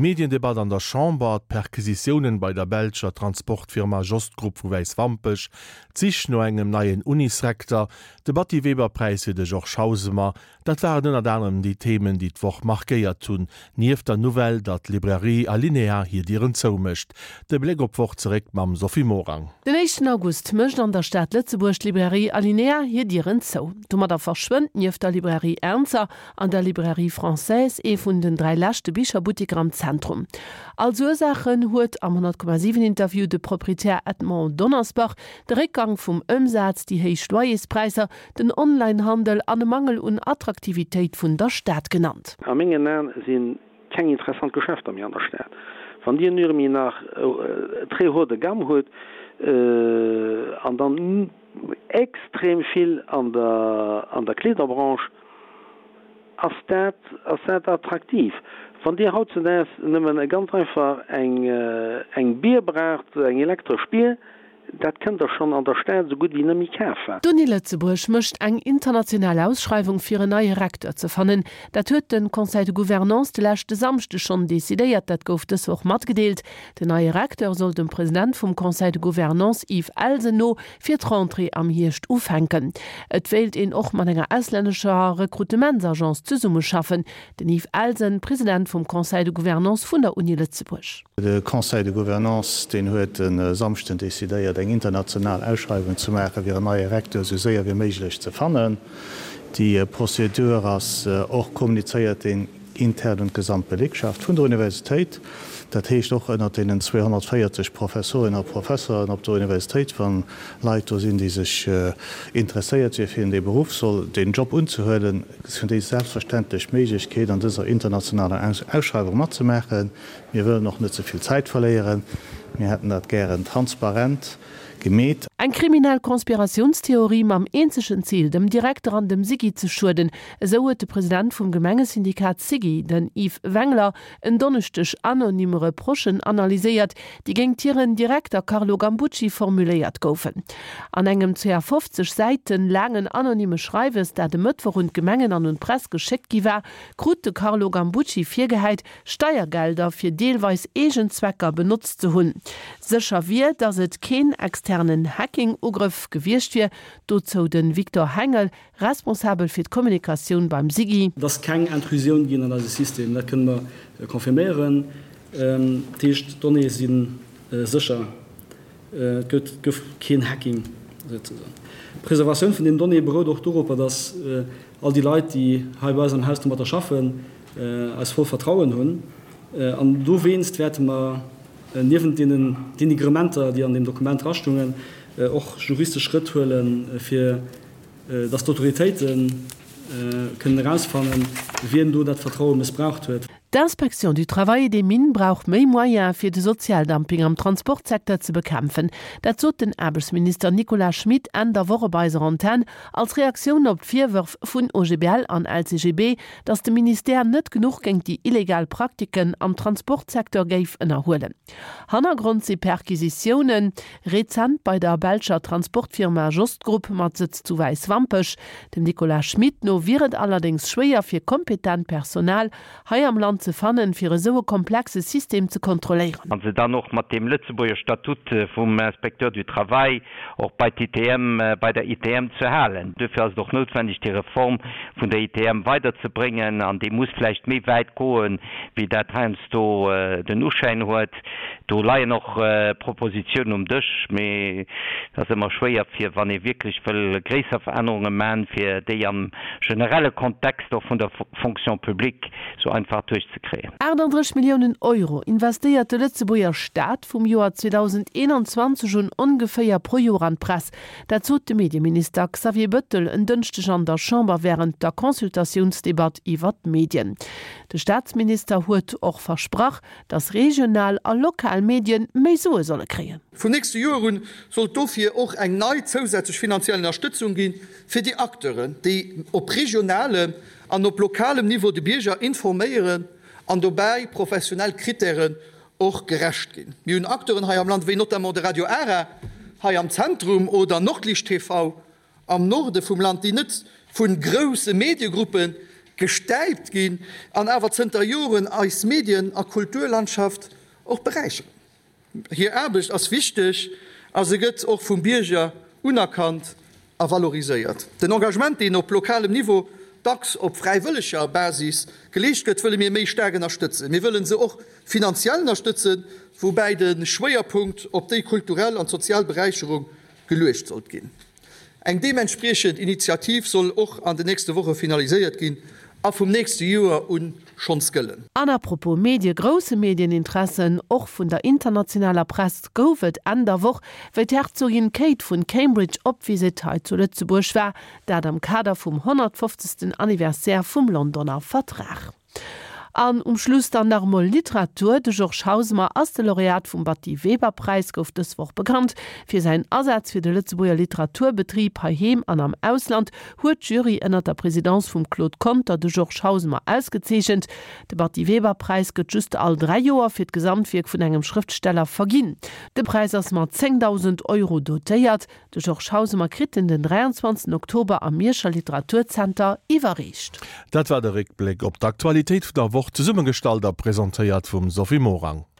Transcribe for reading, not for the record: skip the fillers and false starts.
D'Mediendebatt an der Chamber, d'Perquisitiounen bei der belscher Transportfirma Jost Group vu Wäiswampech, d'Sich no engem neien Unisrekter, de Batty-Weber-Präis fir de Georges Hausemer, Dat waren ënnert anerem déi Themen, déi d'Woch markéiert hunn, nieft der Nouvelle, datt d'Librairie Alinéa hir Dieren zoumécht. De Bléck op d'Woch zeréck mam Sophie Morang. Den éischten August mécht an der Stad Lëtzebuerg d'Librairie Alinéa hir Dieren zou. Domadder verschwënnt nieft der Librairie Ernzer an der Librairie Française ee vun den 3 leschte Bicherbutteker am Zentrum. Als Ursaachen huet am 100,7 Interview de Proprietär Edmond Donnersbach de Réckgang vum Ëmsaz, déi héich Loyerspräisser, den Online-Handel an e Mangel un Attraktivitéit vun der Stad genannt. A mengen Aen si keng interessant Geschäfter méi an der Stad. Wann Dir nürmi nach très haut de gamme hutt an dann extrem vill an der an der Kleederbranche, ass dat ass dat attraktiv. Wann Dir hautzedaags nëmmen ganz einfach eng eng Bier braucht, eng elektresch Bier, Dat kënnt der schonn an der Stad esou gutt wéi net méi kafen. D'Uni Lëtzebuerg mécht eng international Ausschreiwung fir en neie Recteur ze fannen. Dat huet de Conseil de Gouvernance de leschte Samschdeg schonn decidéiert. Dat gouf dës Woch matgedeelt. Den neie Recteur soll dem President vum Conseil de Gouvernance Yves Elsen no fir d'Rentrée am Hierscht ufänken. Et wéilt een och mat enger auslännescher Rekrutementsagence zesummeschaffen. Den Yves Elsen, President vum Conseil de Gouvernance vun der Uni Lëtzebuerg. De Conseil de Gouvernance, deen huet e Samschden decidéiert, eng international Ausschreiwung ze maachen, fir en neie Recteur esou séier wéi méiglech ze fannen. Déi Prozedur ass och kommunizéiert intern un d'gesamt Belegschaft vun der Universitéit, dat heescht och ënnert deenen 240 Professorinnen a Professeren op der Universitéit, wa Leit do sinn, déi sech interesséiert wier fir dee Beruff, soll deen Job unzehuelen, hunn déi selbstverständlech d'Méiglechkeet, an dëser internationaler Ausschreiwung matzemaachen. Mir wëllen och net ze vill Zäit verléieren. Mir hätten dat gären transparent gemeet. Eng kriminell Konspiratiounstheorie mam eenzegen Zil, dem Direkter an dem SIGI ze schueden, esou huet de President vum Gemengesyndikat SIGI, den Yves Wengler, en Donneschdeg anonym Reprochen analyséiert, déi géingt hiren Direkter Carlo Gambucci formuléiert goufen. An engem ca 50 Säiten laangen anonyme Schreiwes, dat e Mëttwoch un d'Gemengen an un d'Press geschéckt gi war, krut de Carlo Gambucci virgehäit, Steiergelder fir deelweis eegen Zwecker benotzt ze hunn. Sécher wier, datt et keen externen Hacking-Ugrëff gewiescht wier. Dozou de Victor Hengel, Responsabel fir d'Kommunikatioun beim SIGI. Et ass keng Intrusioun ginn an eise System, dat kënne mer confirméieren. Dat heescht, d'Donnéeë si sécher. Et gëtt gouf keen Hacking souzesoen. D'Preservatioun vun den Donnéeë berout och doropper, datt all déi Leit, déi hei bei eis am Haus domatter schaffen, eis voll Vertrauen hunn. An dowéinst wäerte mer niewent deenen Denigrementer, déi an deem Dokument drastungen, och juristesch Schrëtt huelen, fir datt d'Autoritéite kënnen erausfannen, wien do dat Vertraue mëssbraucht huet. D'Inspection du Travail et des Mines brauch méi Moyene fir de Sozialdumping am Transportsecteur ze bekämpfen. Dat sot den Aarbechtsminister Nicolas Schmit Enn der Woch op eiser Antenn als Reaktioun op d'Virwërf vun OGBL an LCGB, datt de Ministère net genuch géint déi illegal Praktiken am Transportsecteur géif ënnerhuelen. Hannergrond si Perquisitiounen rezent bei der belscher Transportfirma Jost Group mat Sëtz zu Wäiswampech. Dem Nicolas Schmit no wier et allerdéngs schwéier fir kompetent Personal hei am Land ze fannen, fir esou e komplexe System ze kontrolléieren. A se dann och mat deem Lëtzebuerger Statut vum Inspecteur du Travail och bei d'ITM, bei der ITM ze halen. Duerfir ass et och noutwendeg, déi Reform vun der ITM weiderzebréngen, an déi muss vläicht méi wäit goen, wéi dat heiansdo den Uschäin huet. Do leien och Propositionen um Dësch, mee et ass ëmmer schwéier, fir, wann ee wierklech wëll gréisser Verännerunge man, fir déi am generelle Kontext och vun der Fonction publique sou einfach duerchzekréien. 38 Milliounen Euro investéiert de Lëtzebuerger Staat vum Joer 2021 un ongeféier pro Joer an d'Press. Dat sot de Medieminister Xavier Bëttel en Dënschdeg an der Chamber wärend der Consultatiounsdebatt iwwer d'Medien. De Staatsminister huet och versprach, datt regional a lokal Medien méi Sue solle kréien. Vum nächste Joer un soll et dofir och eng nei zousätzlech finanziell Ënnerstëtzung gi fir déi Acteuren, déi op regionalem an op lokalem Niveau de Bierger informéieren an dobäi professionell Krittären och gerecht ginn. Mir hunn Acteuren hei am Land, wéi notamment de Radio Ara hei am Zentrum oder Nordlicht TV am Norde vum Land, déi net vu grousse Mediegruppe. gestäipt ginn an awer zënter Joren eis Medien a Kulturlandschaft och beräicheren. Hir Aarbecht ass wichteg a se gëtt och vum Bierger unerkannt a valoriséiert. Den Engagement, deen op lokalem Niveau dacks op fräiwëlleger Basis geleescht gëtt, wëlle mir méi staark ënnerstëtzen. Mir wëllen se och finanziell ënnerstëtzen, woubäi de Schwéierpunkt op déi kulturell an sozial Beräicherung geluecht sollt ginn. Eng deementspriechend Initiativ soll och an den nächste Woche finaliséiert ginn a vum nächste Joer u schonns gëllen. An à propos Medie, Grousse Medieninteresse, och vun der internationaler Press, gouf et Enn der Woch, wéi d'Herzogin Kate vun Cambridge op Visitt hei zu Lëtzebuerg war, dat am Kader vum 150. Anniversaire vum Londoner Vertrag. An um Schluss dann nach emol Literatur, De Georges Hausemer ass de Laureat vum Batty Weber Präis, gouf dës Woch bekannt. Fir säin Asaz fir de Lëtzebuerger Literaturbetrib heiheem an am Ausland huet d'Jury ënner der Presidence vum Claude Conter de Georges Hausemer ausgezeechent. De Batty Weber Präis gëtt just all 3 Joer fir d'Gesamtwierk vun engem Schrëftsteller verginn. De Präis ass mat 10.000 Euro dotéiert. De Georges Hausemer kritt en den 23 Oktober am Mierscher Literaturzenter iwwerreecht. Dat war de Réckbléck op d'Aktualitéit vun der Woch, zesummegestallt a presentéiert vum Sophie Morang.